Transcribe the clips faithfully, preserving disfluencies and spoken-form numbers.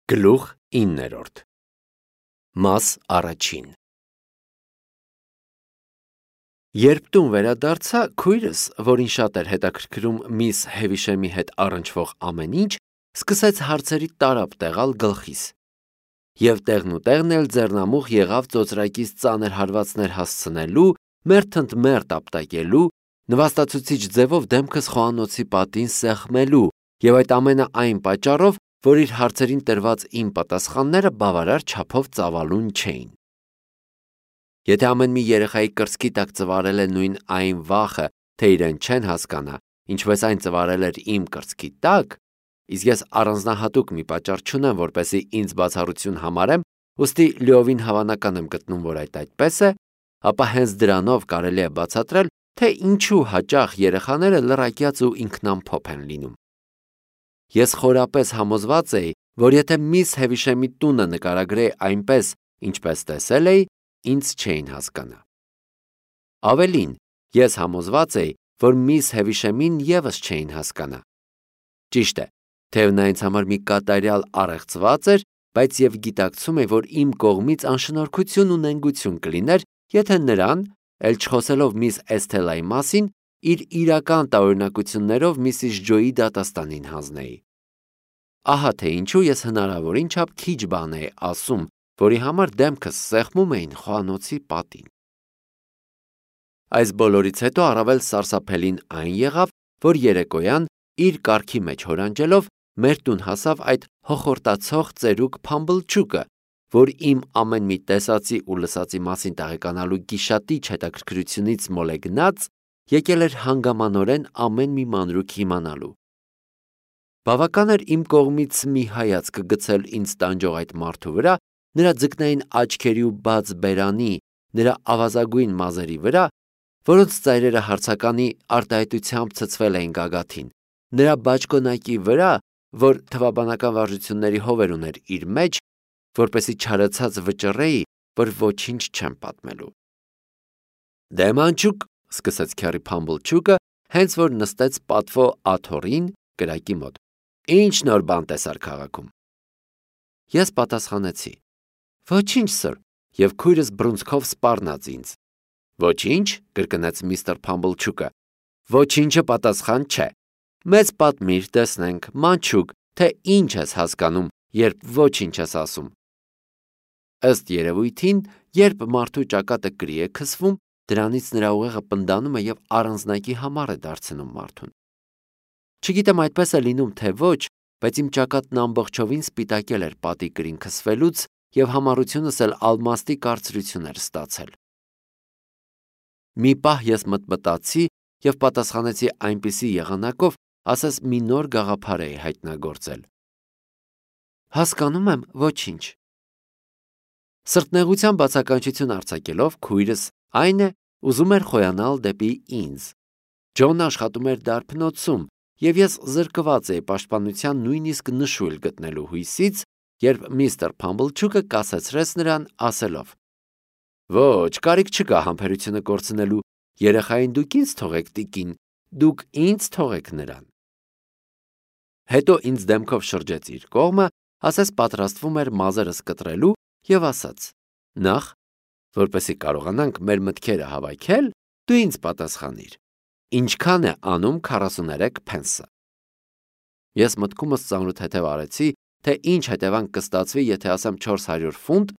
Գլուխ իններորդ Մաս առաջին Երբ տուն վերադարձա, քույրս, որին շատ էր հետաքրքրում միս Հևիշեմի հետ առնչվող ամեն ինչ, սկսեց հարցերի տարափ տեղալ գլխիս, և տեղնուտեղն էլ ձեռնամուխ եղավ ծոծրակից ծանր հարվածներ հասցնելու, մերթընդ մերթ ապտակելու, նվաստացուցիչ ձևով դեմքս խոհանոցի պատին սեղմելու, և այդ ամենը այն պատճառով, որ իր հարցերին տրված իմ պատասխանները բավարար չափով ծավալուն չէին։ Եթե ամեն մի երեխայի կրծքի տակ ծվարել է նույն այն վախը, թե իրեն չեն հասկանա, ինչպես այն ծվարել էր իմ կրծքի տակ, իսկ ես առանձնահատուկ մի պատճառ չունեմ, որպեսզի ինձ բացառություն համարեմ, ուստի լիովին հավանական եմ գտնում, որ այդ այդպես է, ապա հենց դրանով կարելի է բացատրել, թե ինչու հաճախ երեխաները լռակյաց ու ինքնամփոփ են լինում։ Ես խորապես համոզված էի, որ եթե միս Հևիշեմի տունը նկարագրեի այնպես, ինչպես տեսել էի, ինձ չէին հասկանա։ Ավելին, ես համոզված էի, որ միս Հևիշեմին ևս չէին հասկանա։ Ճիշտ է, թեև նա ինձ համար մի կատարյալ առեղծված էր, բայց և գիտակցում էի, որ իմ կողմից անշնորհքություն ու նենգություն կլիներ, եթե նրան, էլ չխոսելով միս Էսթելայի մասին, իր իրական տարօրինակություններով միսիս Ջոյի դատաստանին հանձնեի։ Ահա թե ինչու ես հնարավորին չափ քիչ բան էի ասում, որի համար դեմքս սեղմում էին խոհանոցի պատին։ Այս բոլորից հետո առավել սարսափելին այն եղավ, որ երեկոյան, իր կառքի մեջ հորանջելով, մեր տուն հասավ այդ հոխորտացող ծերուկ Փամբլչուկը, որ իմ ամեն մի տեսածի ու լսածի մասին տեղեկանալու գիշատիչ հետաքրքրությունից մոլեգնած, եկել էր հանգամանորեն ամեն մի մանրուք իմանալու։ Բավական էր իմ կողմից մի հայացք գցել ինձ տանջող այդ մարդու վրա, նրա ձկնային աչքերի ու բաց բերանի, նրա ավազագույն մազերի վրա, որոնց ծայրերը հարցականի արտահայտությամբ ցցվել էին գագաթին, նրա բաճկոնակի վրա, որ թվաբանական վարժությունների հովեր ուներ իր մեջ, որպեսզի չարացած վճռեի, որ ոչինչ չեմ պատմելու։ Դե մանչուկ, սկսեց քեռի Փամբլչուկը, հենց որ նստեց պատվո աթոռին կրակի մոտ։ Ինչ նոր բան տեսար քաղաքում։ Ես պատասխանեցի. Ոչինչ, սըր, և քույրս բռունցքով սպառնաց ինձ։ Ոչինչ, կրկնեց միստր Փամբլչուկը։ Ոչինչը պատասխան չէ։ Մեզ պատմիր, տեսնենք, մանչուկ, թե ինչ ես հասկանում, երբ ոչինչ ես ասում։ Ըստ երևույթին, երբ մարդու ճակատը կրի է քսվում, դրանից նրա ուղեղը պնդանում է և առանձնակի համար է դարձնում մարդուն։ Չգիտեմ այդպես է լինում, թե ոչ, բայց իմ ճակատն ամբողջովին սպիտակել էր պատի կրին քսվելուց և համառությունս էլ ալմաստի կարծրություն էր ստացել։ Մի պահ ես մտմտացի և պատասխանեցի այնպիսի եղանակով, ասես մի նոր գաղափար էի հայտնագործել։ Հասկանում եմ, ոչինչ։ Սրտնեղության բացականչություն արձակելով, քույրս, այն է, ուզում էր խոյանալ դեպի ինձ։ Ջոնն աշխատում էր դարբնոցում, և ես զրկված էի պաշտպանության նույնիսկ նշույլ գտնելու հույսից, երբ միստր Փամբլչուկը կասեցրեց նրան, ասելով. Ոչ, կարիք չկա համբերությունը կորցնելու, երեխային դուք ինձ թողեք, տիկին, դուք ինձ թողեք նրան։ Հետո ինձ դեմքով շրջեց իր կողմը, ասես պատրաստվում էր մազերս կտրելու և ասաց. Նախ, որպեսզի կարողանանք մեր մտքերը հավաքել, դու ինձ պատասխանիր, ինչքան է անում քառասուներեք փենսը։ Ես մտքումս ծանրութեթև արեցի, թե ինչ հետևանք կստացվի, եթե ասեմ չորս հարյուր ֆունտ,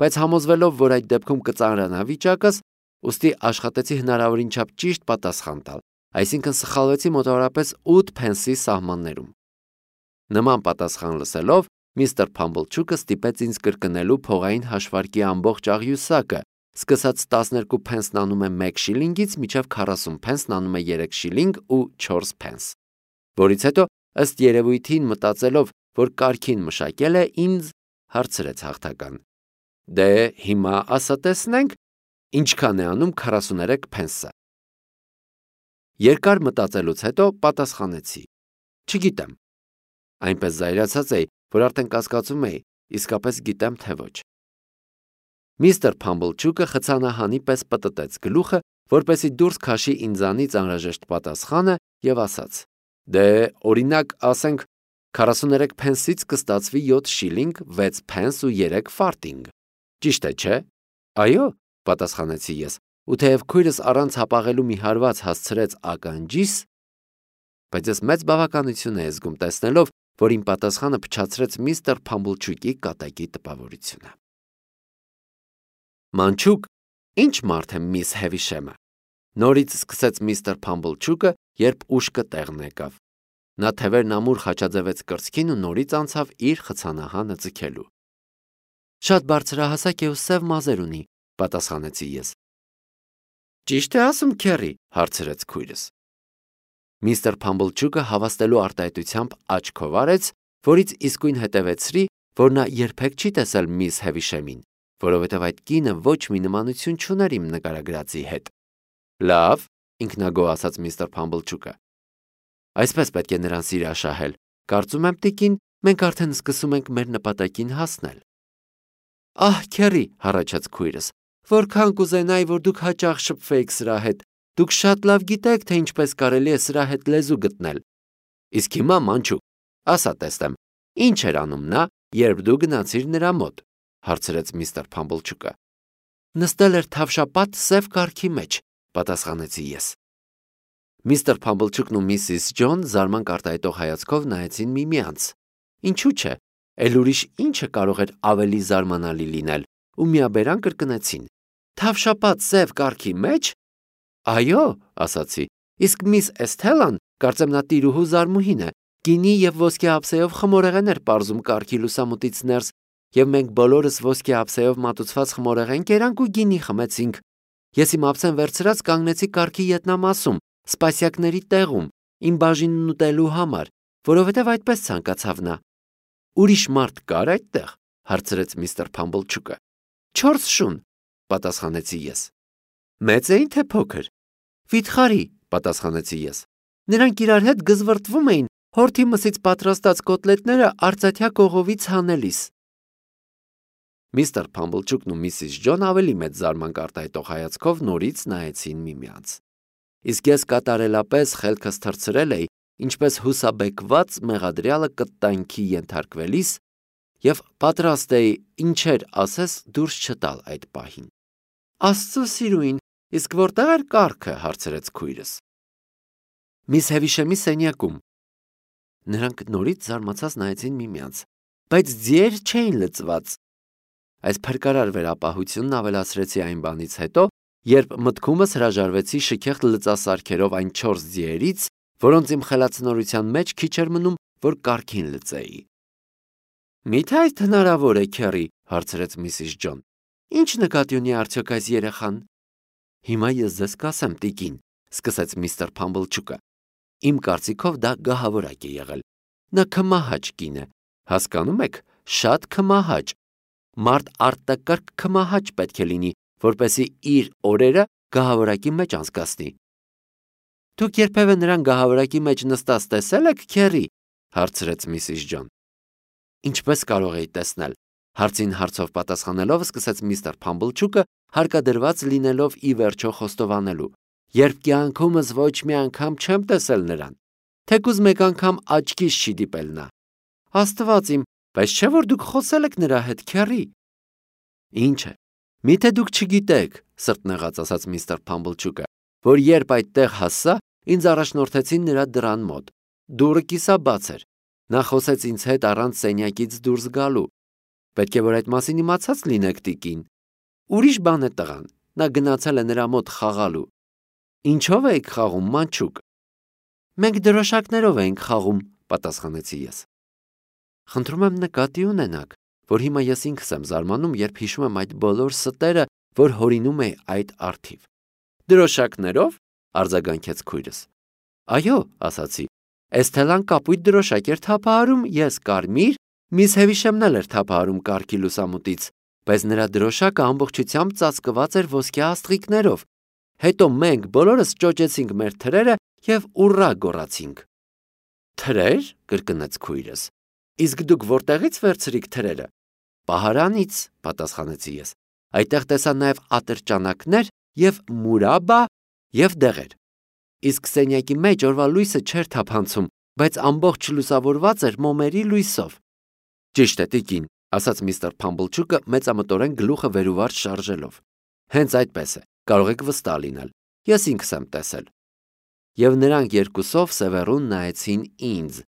բայց համոզվելով, որ այդ դեպքում կծանրանա վիճակս, ուստի աշխատեցի հնարավորին չափ ճիշտ պատասխան տալ, այսինքն սխալվեցի մոտավորապես ութ փենսի սահմաններում։ Նման պատասխան լսելով, միստր Փամբլչուկը ստիպեց ինձ կրկնելու փողային հաշվարկի ամբողջ աղյուսակը, սկսած տասներկու փենսն անում է մեկ շիլինգից մինչև քառասուն փենսն անում է երեք շիլինգ ու չորս փենս, որից հետո, ըստ երևույթին մտածելով, որ կարգին մշակել է, ինձ հարցրեց հաղթական. Դե հիմա ասա տեսնենք, ինչքան է անում քառասուներեք փենսը։ Երկար մտածելուց հետո պատասխանեցի. Չգիտեմ։ Այնպես զայրացած էի, որ արդեն կասկածում էի, իսկապես գիտեմ, թե ոչ։ Միստր Փամբլչուկը խցանահանի պես պտտեց գլուխը, որպեսզի դուրս քաշի ինձանից անհրաժեշտ պատասխանը և ասաց. Դե, օրինակ, ասենք, քառասուներեք փենսից կստացվի յոթ շիլինգ, վեց փենս ու երեք ֆարտինգ։ Ճիշտ է, չէ՞։ Այո, պատասխանեցի ես, ու թեև քույրս առանց հապաղելու մի հարված հասցրեց ականջիս, բայց ես մեծ բավականություն էի զգում տեսնելով, որ իմ պատասխանը փչացրեց միստր Փամբլչուկի կատակի տպավորությունը։ Մանչուկ, ինչ մարդ է միս Հևիշեմը։ Նորից սկսեց միստր Փամբլչուկը, երբ ուշքը տեղն եկավ։ Նա թևերն ամուր խաչաձևեց կրծքին ու նորից անցավ իր խցանահանը ձգելու։ Շատ բարձրահասակ է ու սև մազեր ունի, պատասխանեցի ես։ Ճիշտ է ասում, քեռի, հարցրեց քույրս։ Միստր Փամբլչուկը հավաստելու արտահայտությամբ աչքով արեց, որից իսկույն հետևեցրի, որ նա երբեք չի տեսել միս Հևիշեմին, որովհետև այդ կինը ոչ մի նմանություն չուներ իմ նկարագրածի հետ։ Լավ, ինքնագոհ ասաց միստր Փամբլչուկը։ Այսպես պետք է նրան սիրաշահել։ Կարծում եմ, տիկին, մենք արդեն սկսում ենք մեր նպատակին հասնել։ Ահ, քեռի, հառաչեց քույրս, որքան կուզենայի, որ դուք հաճախ շփվեիք սրա հետ։ Դուք շատ լավ գիտեք, թե ինչպես կարելի է սրա հետ լեզու գտնել։ Իսկ հիմա, մանչուկ, ասա տեսնեմ, ինչ էր անում նա, երբ դու գնացիր նրա մոտ, հարցրեց միստր Փամբլչուկը։ Նստել էր թավշապատ սև կառքի մեջ, պատասխանեցի ես։ Միստր Փամբլչուկն ու միսիս Ջոն զարմանք արտահայտող հայացքով նայեցին միմյանց։ Ինչու՞ չէ, էլ ուրիշ ինչը կարող էր ավելի զարմանալի լինել, ու միաբերան կրկնեցին. Թավշապատ սև կառքի մեջ։ Այո, ասացի, իսկ միս Էսթելան, կարծեմ նա տիրուհու զարմուհին է, գինի եւ ոսկե ափսեով խմորեղեն էր պարզում կառքի լուսամուտից ներս, եւ մենք բոլորս ոսկե ափսեով մատուցված խմորեղեն կերանք ու գինի խմեցինք։ Ես իմ ափսեն վերցրած կանգնեցի կառքի ետնամասում, սպասյակների տեղում, իմ բաժինն ուտելու համար, որովհետև այդպես ցանկացավ նա։ Ուրիշ մարդ կար այդտեղ, հարցրեց միստր Փամբլչուկը։ Չորս շուն, պատասխանեցի ես։ Մեծ էին թե փոքր։ Վիթխարի, պատասխանեցի ես։ Նրանք իրար հետ գզվռտվում էին հորթի մսից պատրաստած կոտլետները արծաթյա կողովից հանելիս։ Միստր Փամբլչուկն ու միսիս Ջոն ավելի մեծ զարմանք արտահայտող հայացքով նորից նայեցին միմյանց։ Իսկ ես կատարելապես խելքս թռցրել էի, ինչպես հուսաբեկված մեղադրյալը կտանքի ենթարկվելիս, եւ պատրաստ էի ինչեր ասես դուրս չտալ այդ պահին։ Աստծո սիրուին, իսկ որտեղ էր կառքը, հարցրեց քույրս։ Միս Հևիշեմի սենյակում։ Նրանք նորից զարմացած նայեցին միմյանց, բայց ձիեր չէին լծված։ Այս փրկարար վերապահությունն ավելացրեցի այն բանից հետո, երբ մտքումս հրաժարվեցի շքեղտ լծասարքերով այն չորս ձիերից, որոնց իմ խելացնորության մեջ քիչ էր մնում, որ կառքին լծեի։ Միթե այդ հնարավոր է, քեռի, հարցրեց միսիս Ջոն։ Ինչ նկատի ունի արդյոք այս երեխան։ Հիմա ես ձեզ կասեմ, տիկին, սկսեց միստր Փամբլչուկը։ Իմ կարծիքով դա գահավորակ է եղել։ Նա քմահաճ կին է, հասկանում եք, շատ քմահաճ։ Մարդ արտակարգ քմահաճ պետք է լինի, որպեսզի իր օրերը գահավորակի մեջ անցկացնի։ Դուք երբևէ նրան գահավորակի մեջ նստած տեսել եք, քեռի, հարցրեց միսիս Ջոն։ Ինչպես կարող էի տեսնել, հարցին հարցով պատասխանելով սկսեց միստր Փամբլչուկը, հարկադրված լինելով ի վերջո խոստովանելու։ Երբ կյանքումս ոչ մի անգամ չեմ տեսել նրան, թեկուզ մեկ անգամ աչքիս չի դիպել նա։ Աստված իմ, բայց չէ որ դուք խոսել եք նրա հետ, քեռի։ Ինչ է։ Միթե դուք չգիտեք, սրտնեղած ասաց միստր Փամբլչուկը, որ երբ այդտեղ հասա, ինձ առաջնորդեցին նրա դռան մոտ։ Դուռը կիսաբաց էր։ Նա խոսեց ինձ հետ առանց սենյակից դուրս գալու։ Պետք է որ այդ մասին իմացած լինեք, տիկին։ Ուրիշ բան է տղան։ Նա գնացել է նրա մոտ խաղալու։ Ինչով եք խաղում, մանչուկ։ Մենք դրոշակներով ենք խաղում, պատասխանեցի ես։ Խնդրում եմ նկատի ունենաք, որ հիմա ես ինքս եմ զարմանում, երբ հիշում եմ այդ բոլոր ստերը, որ հորինում է այդ արթիվ։ Դրոշակներով, արձագանքեց քույրս։ Այո, ասացի։ Էսթելան կապույտ դրոշակ էր թափահարում, ես կարմիր, միս Հևիշեմն էլ էր թափահարում կառքի լուսամուտից, բայց նրա դրոշակը ամբողջությամբ ծածկված էր ոսկե աստղիկներով։ Հետո մենք բոլորս ճոճեցինք մեր թրերը եւ ուռա գոռացինք։ Թրեր, կրկնեց քույրս։ Իսկ դուք որտեղից վերցրիք թրերը։ Պահարանից, պատասխանեցի ես։ Այդտեղ տեսա նաեւ ատրճանակներ եւ մուրաբա եւ դեղեր։ Իսկ սենյակի մեջ օրվա լույսը չէր թափանցում, բայց ամբողջ լուսավորված էր մոմերի լույսով։ Ճիշտ է, տիկին, ասաց միստր Փամբլչուկը մեծամտորեն գլուխը վերուվարդ շարժելով։ Հենց այդպես է, կարող եք վստահ լինել, ես ինքս եմ տեսել։ Եվ նրանք երկուսով սևեռուն նայեցին ինձ։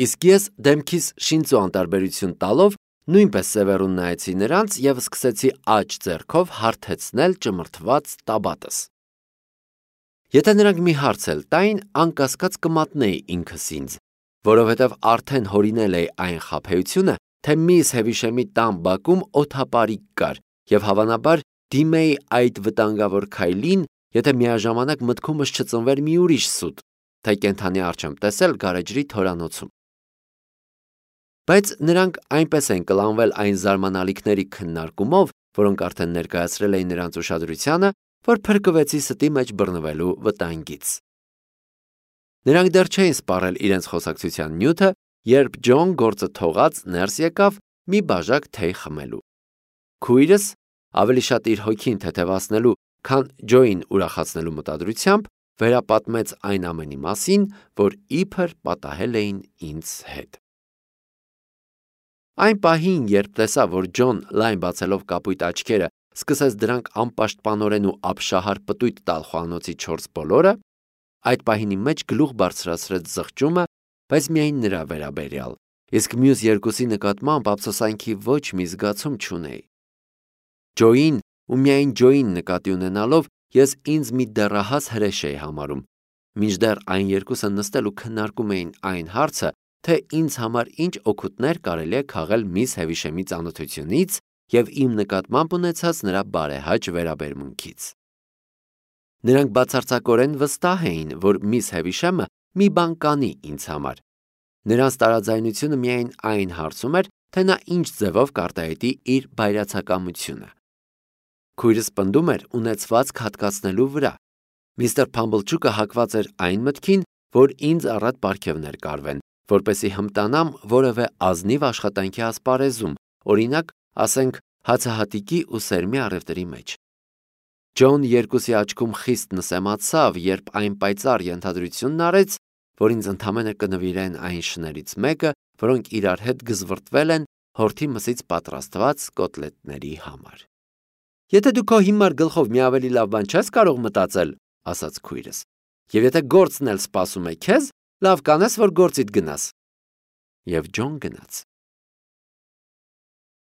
Իսկ ես դեմքիս շինծու անտարբերություն տալով նույնպես սևեռուն նայեցի նրանց և սկսեցի աջ ձեռքով հարթեցնել ճմրթված տաբատս։ Եթե նրանք մի հարց էլ տային, անկասկած կմատնեի ինքս ինձ, որովհետև արդեն հորինել էի այն խաբեությունը, թե միս Հևիշեմի տան բակում օդապարիկ կար և հավանաբար դիմեի այդ վտանգավոր քայլին, եթե միաժամանակ մտքումս չծնվեր մի ուրիշ սուտ, թե կենդանի առջ եմ տեսել գարեջրի թորանոցում։ Բայց նրանք այնպես են կլանվել այն զարմանալիքների քննարկումով, որոնք արդեն ներկայացրել էին նրանց ուշադրությանը, որ փրկվեցի ստի մեջ բռնվելու վտանգից։ Նրանք դեռ չէին սպառել իրենց խոսակցության նյութը, երբ Ջոն գործը թողած ներս եկավ մի բաժակ թեյ խմելու։ Քույրս, ավելի շատ իր հոգին թեթևացնելու, քան Ջոյին ուրախացնելու մտադրությամբ, վերապատմեց այն ամենի մասին, որ իբր պատահել էին ինձ հետ։ Այն պահին, երբ տեսա, որ Ջոն լայն բացելով կապույտ աչքերը սկսեց դրանք անպաշտպանորեն ու ապշահար պտույտ տալ խոհանոցի չորս բոլորը, այդ պահին իմ մեջ գլուխ բարձրացրեց զղջումը, բայց միայն նրա վերաբերյալ, իսկ մյուս երկուսի նկատմամբ ափսոսանքի ոչ մի զգացում չունեի։ Ջոյին ու միայն Ջոյին նկատի ունենալով ես ինձ մի դեռահաս հրեշ էի համարում, մինչդեռ այն երկուսը նստել ու քննարկում էին այն հարցը, թե ինձ համար ինչ օգուտներ կարելի է քաղել միս Հևիշեմի ծանոթությունից և իմ նկատմամբ ունեցած նրա բարեհաճ վերաբերմունքից։ Նրանք բացարձակորեն վստահ էին, որ միս Հևիշեմը մի բան կանի ինձ համար։ Նրանց տարաձայնությունը միայն այն հարցում էր, թե նա ինչ ձևով կարտահայտի իր բայրացակամությունը։ Քույրս պնդում էր ունեցվածք հատկացնելու վրա։ Միստր Փամբլչուկը հակված էր այն մտքին, որ ինձ առատ պարգևներ կարվեն, որպեսզի հմտանամ որևէ ազնիվ աշխատանքի ասպարեզում, օրինակ, ասենք, հացահատիկի ու սերմի առևտրի մեջ։ Ջոն երկուսի աչքում խիստ նսեմացավ, երբ այն պայծառ ենթադրությունն արեց, որ ինձ ընդամենը կնվիրեն այն շներից մեկը, որոնք իրար հետ գզվրտվել են հորթի մսից պատրաստված կոտլետների համար։ Եթե դու քո հիմար գլխով մի ավելի լավ բան չես կարող մտածել, ասաց քույրս, և եթե գործն էլ սպասում է քեզ, լավ կանես, որ գործիդ գնաս։ Եվ Ջոն գնաց։